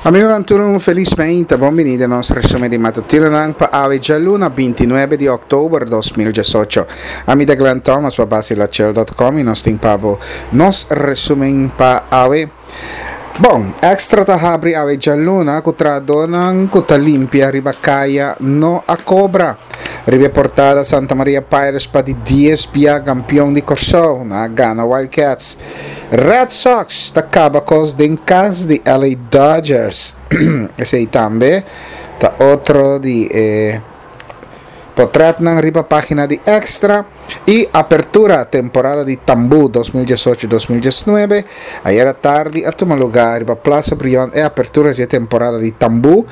Amigonan tur un felis meinta, bon bini den nos resumen di matutinonan pa awe djaluna 29 di oktober 2018. Ami ta Glenn Thomas pa basilachel.com y nos tin pa bo nos resumen pa awe. Bon, Extra ta habri awe djaluna ku trahadónan ku ta limpia riba kaya no a kobra. Riba e portada Santa Maria Pirates pa di dies bia kampion di Kòrsou, nan a gana Wild Cats. Red Sox ta kaba kos den kas di LA Dodgers. Esei tambe ta otro di e potrètnan riba página di Extra. Y apertura temporada di Tambú 2018 2019 Ayera tardi a tuma lugar riba Plaza Brion e apertura di e temporada di Tambú.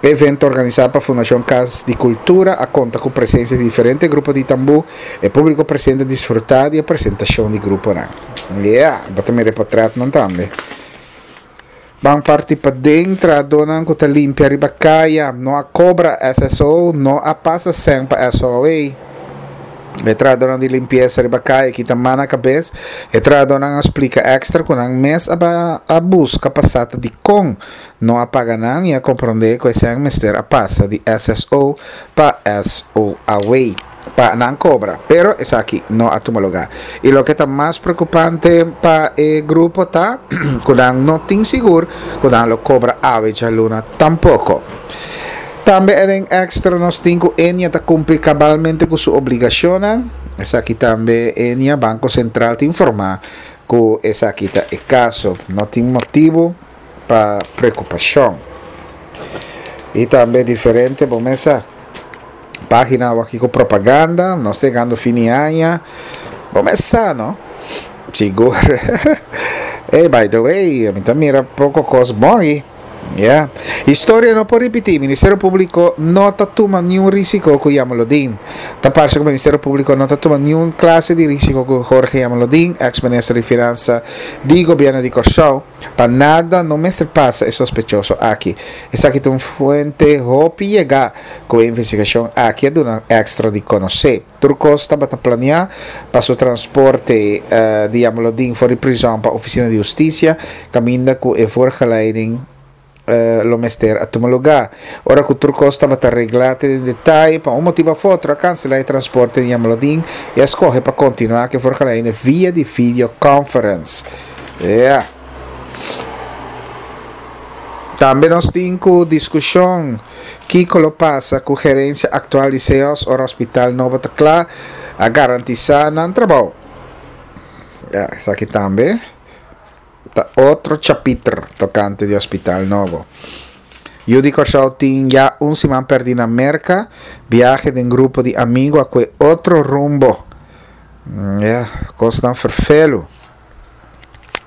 E evento organisa pa Fundacion Cas di Cultura a conta cu presencia di diferente grupo di tambú. E publico presente a disfruta di e presentacion di gruponan. Yeah, bo ta mira e potretnan tambe. Ban parti paden, trahadónan ku ta limpia riba kaya no a kobra SSO, no a pasa sèn pa SOAW. E trahadónan di limpiesa riba kaya kita man na kabes. E trahadónan a splika Extra ku nan mes a a buska pa sa ta dikon no a paga nan i a komprondé ku e sèn mester a pasa di SSO pa SOAW. pa nan cobra, pero esaki no a tuma lugar. Y loke ta mas preocupante pa e grupo ta cu nan no tin sigur cu nan lo cobra awe djaluna tampoco. Tambe den extra nos tin cu Ennia ta cumpli cabalmente cu su obligacionnan. Esaki tambe Ennia, Banco Central, ta informa cu esaki ta e caso. No tin motibo pa preocupacion. Y tambe diferente bo mesa. Página awor aki ku propaganda, nos ta yegando fin di aña. Bo mes sa, no? Sigur. Hey, by the way, mi ta mira poko kos bon aki. Yeah. Historia no por ripití. Ministerio Públiko no ta tuma niun risiko ku Jamaloodin. Ta parse ku Ministerio Públiko no ta tuma niun klase di risiko ku Jorge Jamaloodin, eks minister di Finansa di gobièrnu di Kòrsou. Pa nada no mester pasa e sospechoso aki. Esaki ta un fuente hopi yegá ku e investigashon aki a duna Extra di konosé. Tur kos tabata planeá pa su transporte di Jamaloodin for di prizòn pa ofisina di hustisia kaminda ku e voorgeleiding lo mester a tuma lugá. Ora ku tur kos tabata reglá te den detaye, pa un motibu òf otro a kanselá e transporte di Jamaloodin i a skohe pa kontinuá ku e voorgeleiding via di videoconference. Ya. Tambe nos tin ku diskushon kiko lo pasa ku gerensia aktual di CEOS ora hospital nobo ta kla, a garantisá nan trabou. Ya, esaki tambe ta otro chapiter tokante di hospital nobo. Yu di Kòrsou tin ya un siman pèrdí na Merka, biahe den grupo di amigu a kue otro rumbo. Ya, kosnan ferfelu.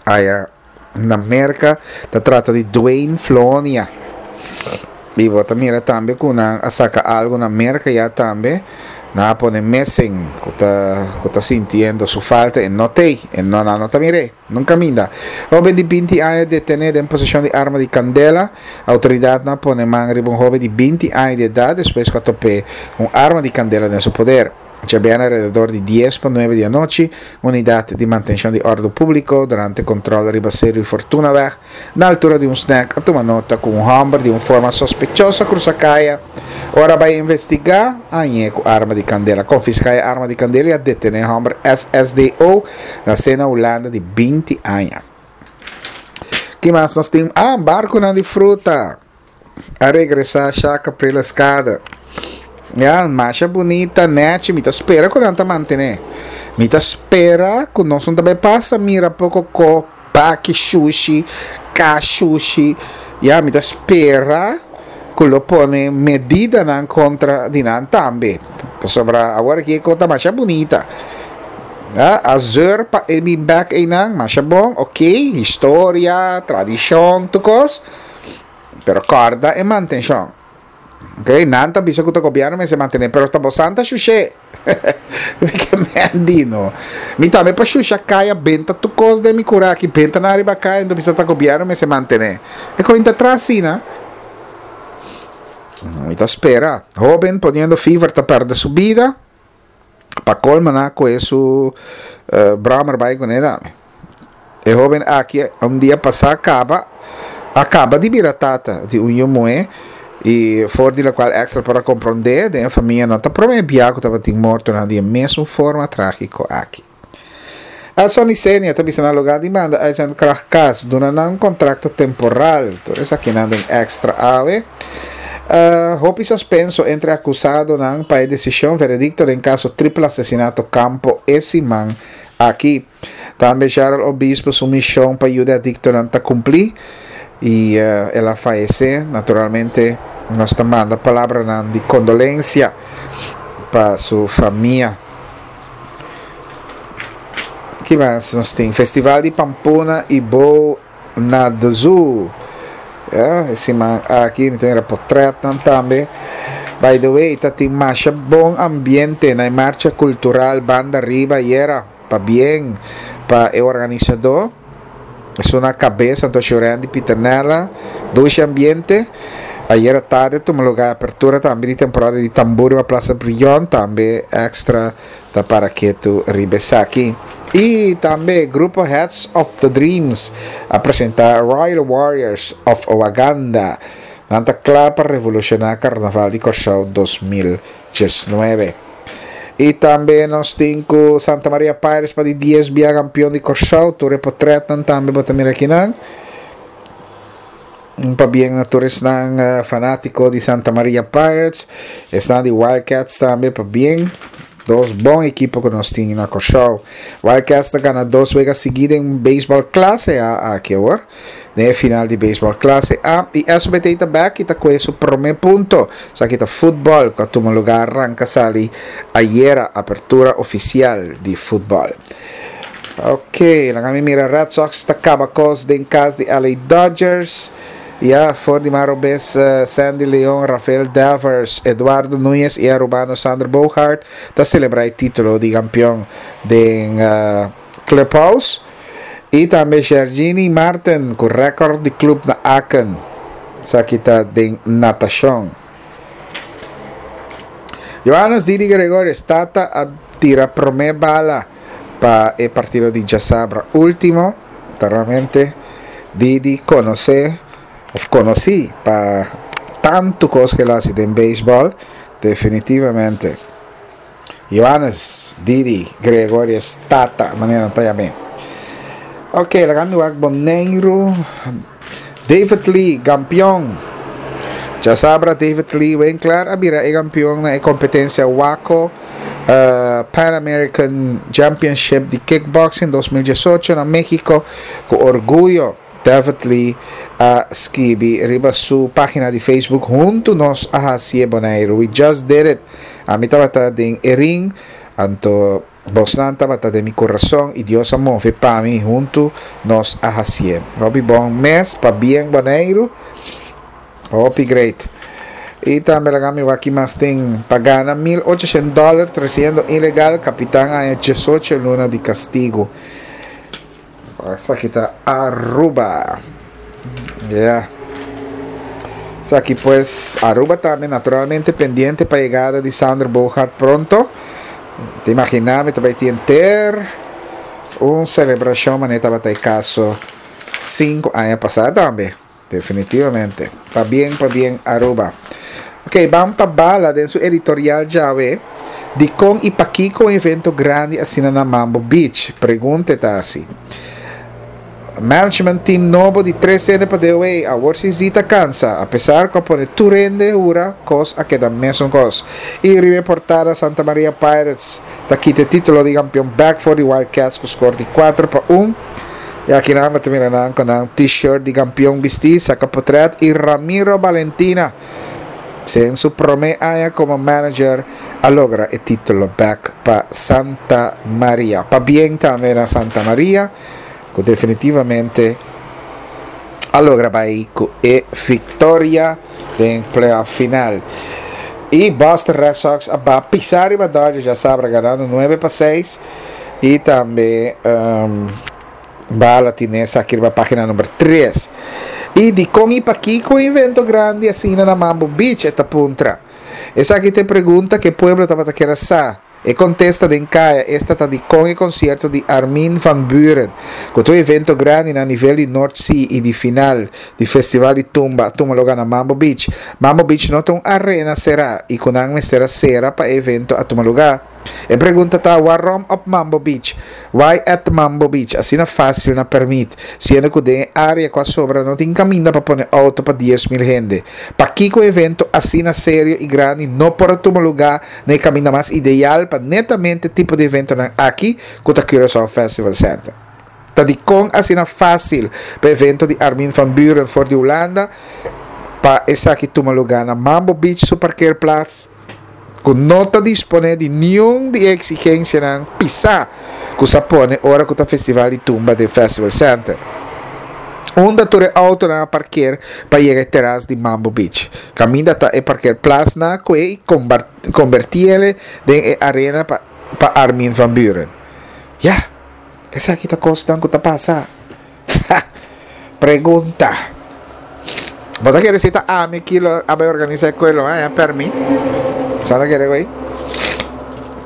Aya na Merka ta trata di Dwayne Flonia. I bo ta mira tambe ku nan a saka algu na Merka ya tambe. Nan a pone missing ku ta ku ta sintiendo su falta e no t'ei. E no nan no ta mir'é. Nunka minda. Hoben di binti aña detené den poseshon di arma di kandela. Outoridatnan a pone man riba un hoben di binti aña di edat despues ku a top'é un arma di kandela den su poder. Djabièrnè alrededor di dies pa nuebe di anochi, Unidat di Mantenshon di Òrdu Públiko durante kòntròl riba Seru Fortunaweg na altura di un snèk a tuma nota ku un hòmber di un forma sospechoso a krusa kaya. Ora a bai investigá, a hañ'é ku arma di kandela. A konfiská e arma di kandela i a detené e hòmber SSDO nasé na Hulanda di binti aña. Ki mas nos tin? Ah, barkunan di fruta. A regresá Shaka Preleskade. Ya, masha bunita, nechi. Mi ta spera ku nan ta mantené. Mi ta spera ku nos no ta bai pasa mira poko ko baki shushi, ka shushi. Ya, mi ta spera ku lo pone medidanan kontra di nan tambe. Pasobra awor aki e ko ta masha bunita. Ya, a zeur pa e bin bek einan, masha bon, ok, historia, tradishon, tur kos. Pero kòrda e mantenshon. Ok, nan ta bisa ku ta gobièrnu mester mantené, pero ta bosan ta shush'é. Mi ke men di no. Mi tambe pa shusha kaya benta tur kos den mi kura aki, benta nan riba kaya, enton bisa ta gobièrnu mester mantené. E koin ta tras asina. Mi ta spera. Hóben poniendo fever ta pèrdè su bida. Pa colma nan a cohe su brommer bay cune tambe. E hoben aki un dia pasa caba A kaba di bira tata di un yu muhé i for di lokual Extra por a komprondé, den e famia no ta promé bia ku tabatin mortonan di e mesun forma trágiko aki. Edson Isenia ta bisa na lugá di manda uitzendkracht kas, duna nan un kontrakto temporal. Tur esakinan den Extra awe. Hopi sospenso entre akusadonan pa e desishon veredikto den kaso triple asesinato Campo e siman aki. Tambe Gerald Obispo su mishon pa yuda e adiktonan ta kumplí i el a fayesé. Naturalmente nos ta manda palabranan di kondolensia pa su famia. Ki mas nos tin? Festival di Pampuna i Bo na The Zoo. Ya, e siman aki mi ta mira potretnan tambe. By the way, ta tin masha bon ambiente na e marcha cultural Banda Riba ayera. Pabien pa e organisadó. Esun na kabes anto Shurandy Pieternella. Dushi ambiente. Ayera tarde a tuma lugar e apertura tambe di temporada di tambor riba Plaza Brion. Tambe extra ta para ketu riba esaki. I tambe grupo Heads of the Dreams a presenta Royal Warriors of Waganda. Nan ta kla pa revolushoná Karnaval di Kòrsou 2019. I tambe nos tin ku Santa Maria Pirates pa di dies bia kampion di Kòrsou. Tur e potretnan tambe bo ta mira akinan. Un pabien na tur esnan fanátiko di Santa Maria Pirates, esnan di Wildcats tambe pabien. Dos bon ekipo ku nos tin na Kòrsou. Wildcats ta gana dos wega sigí den beisbòl klase A aki awor. Den e final di beisbòl klase A i SBT ta bèk i ta kohe su promé punto. Esaki ta futbòl ku a tuma lugá ranka sali ayera, apertura ofisial di futbòl. Ok, laga mi mira Red Sox ta kaba kos den kas di LA Dodgers. Ya, for di maro bes Sandy Leon, Rafael Devers, Eduardo Nunez i Arubano Sander Bogaert ta selebrá e título di kampion den Clubhouse. I tambe Gergini Marten ku rèkòrt di klup na Aken. Esaki ta den natashon. Johannes Didi Gregorius, tata a tira promé bala pa e partido di djasabra último. Ta realmente Didi konosé òf konosí pa tantu kos ku el a hasi den beisbòl, definitivamente. Johannes Didi Gregorius Tata, manera nan ta yam'é. Ok, laga mi wak Boneiru. David Lee, gampion. Djasabra David Lee Winkler a bira e gampion na e kompetensia WAKO Pan American Championship di Kickboxing 2018 na Mexico ku orguyo. David Lee a skibi riba su página di Facebook, Huntu nos a hasié Boneiru. We just did it. Ami tabata den e ring, anto bosnan tabata den mi kurason i Dios a move pa mi. Huntu nos a hasié. Hopi bon mes, pabien Boneiru. Hopi great. I tambe laga mi wak ki mas tin pa gana 1800 dòler tresiendo ilegal, kapitan haña 18 luna di kastigu. Esaki ta Aruba. Yeah. Esaki pues Aruba tambe naturalmente pendiente pa yegada di Sander Bogaert pronto. Te imagina mi ta bai tin enter un celebracion manera tabata e caso 5 aña pasa tambe. Definitivamente. Pabien, pabien Aruba. Ok, ban pa Bala den su editorial djawe, Dikon i pakiko un evento grandi asina na Mambo Beach? Pregunta e ta hasi. Management team nobo di tres hende pa DOA, awor si Zita kansa, apesar ku a pone tur hende hura, kos a keda mesun kos. I riba e portada Santa Maria Pirates ta kita e titulo di kampion bek for di Wild Cats ku skor di 4-1. I aki nan bo ta mira nan ku nan t-shirt di kampion bistí, saka potret i Ramiro Balentina, den su promé aña komo manager, a logra e título bèk pa Santa Maria. Pabien tambe na Santa Maria ku definitivamente a logra bai ku e viktoria den playoff final. I Boston Red Sox a ba pisa riba Dodgers djasabra ganando 9-6. I tambe um, bala tine esaki riba página number 3. I dikon i pakiko invento grandi asina na Mambo Beach e ta puntra. Esaki ta e pregunta ku e pueblo tabata kere sa. E kontesta den kaya esta ta dikon e konsierto di Armin van Buuren, ku ta un evento grandi na nivel di North Sea i di final di Festival di Tumba a tuma lugá na Mambo Beach. Mambo Beach no ta un arena será i ku nan mester a sera pa e evento a tuma lugá. E pregunta ta warom op Mambo Beach? Why at Mambo Beach? Asina fásil na permit, siendo ku den e área ku a sobra no tin kaminda pa pone outo pa 10,000 hende. Pakiko un evento asina serio i grandi no por a tuma lugá na e kaminda mas ideal pa netamente tipo di eventonan aki ku ta Curaçao Festival Center? Ta dikon asina fásil pa evento di Armin van Buuren for di Hulanda pa esaki tuma lugá na Mambo Beach su parkeerplaats? Ku no ta disponé di niun di e eksigensianan pisá ku sa pone ora ku ta festival di tumba den Festival Center. Unda tur e outonan a parker pa yega e teras di Mambo Beach? Kaminda ta e parkerplasnan ku e i kombertiele den e arena pa pa Armin van Buuren. Ya, esaki ta kosnan ku ta pasa. Ha! Pregunta. Bo ta kere si ta ami ki lo a bai organisa e kuelo, eh? A permit. Sa ta kere güey?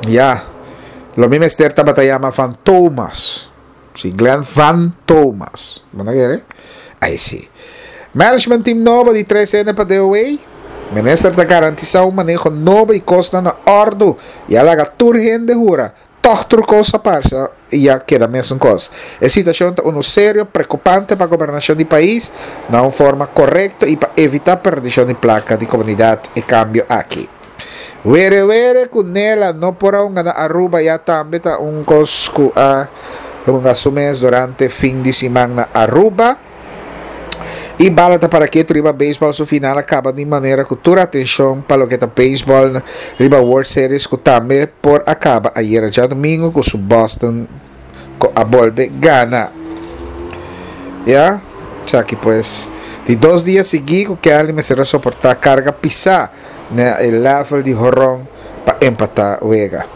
Ya. Lo mi mester tabata yama Van Thomas. Si, Glenn Van Thomas. Bo ta kere? Ai si. Management team nobo di 3N pa DOW. Minister ta garantisa un maneho nobo y cosnan na ordo y a laga tur hende hura. Tòg tur kos a parsa i a keda mesun kos. E situashon ta unu serio, preokupante pa gobernashon di pais na un forma korekto i pa evitá perdishon di plaka di komunidat e kambio aki. Were were ku Nela no por a hunga na Aruba ya tambe ta un kos ku a hunga su mes durante fin di siman na Aruba. I bala ta para ketu riba beisbòl su final a kaba di manera ku tur atenshon pa loke ta beisbòl riba World Series ku tambe por a kaba ayera djadumingu ku su Boston ku a bolbe gana. Ya, esaki pues di dos dia sigui ku Kelly mester a soportá karga pisá na e level di horon pa empatá wega.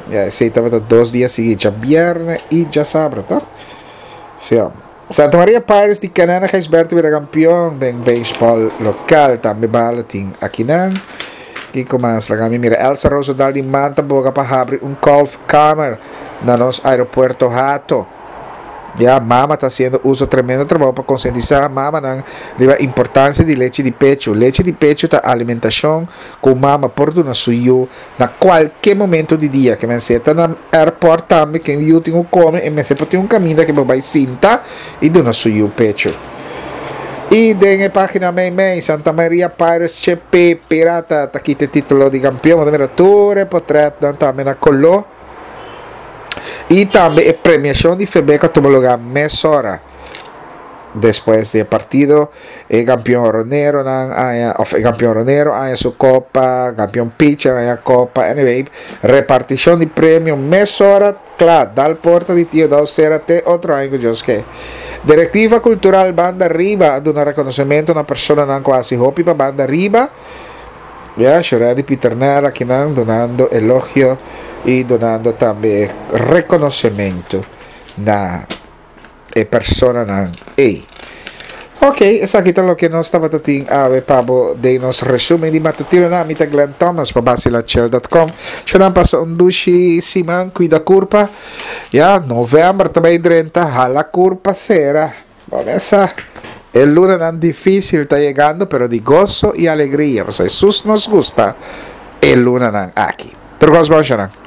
Ya, esei tabata dos dia sigui, djabièrnè i djasabra, tòg? Sí. Santa Maria Pirates di Canana Gijsberto bira kampion den beisbòl lokal. Tambe bala tin akinan. Kiko mas? Laga mi mira. Elsa Roosendal di Manta boga pa habri un kolfkamer na nos aeropuerto Hato. Ya, mama ta hasiendo uso tremendo trabou pa konsientisá mamanan riba importansia di lechi di pechu. Lechi di pechu ta alimentashon ku mama por duna su yu Na kualke momento di dia ke mester ta na airport tambe ken yu tin ku kome e mester por tin un kaminda ke por bai sinta i duna su yu pechu. I den e pagina mei mei Santa Maria Pirates CP Pirata ta kita e titulo di kampion. Bo ta mira tur e potretnan tambe na kolo i tambe e premiashon di Febeko a tuma luga mesora. Despues di e partido e kampion roneronan haña of e kampion ronero haña su kopa, kampion pitcher haña kopa, anyway repartishon di premio mesora kla dal porta di Tio Dou sera te otro aña ku Dios ke. Direktiva Kultural Banda Riba a duna rekonosementu na personanan ku a hasi hopi pa Banda Riba. Ya, Shuredy Pieternella akinan dunando elogio i dunando tambe rekonosementu na. e personanan ei. Ok, esaki ta loke nos tabata tin awe pa bo den nos resumen di matutinonan. Mi ta Glenn Thomas pa BacilaChill.com. Shonan pasa un dushi siman, cuida curpa. Ya, november ta bay drenta, hala curpa cera. Bo mesa, e lunanan dificil ta yegando, pero di goso y alegria. Pasobra Jesus nos gusta e lunanan aki. Tur cos bon, shonan.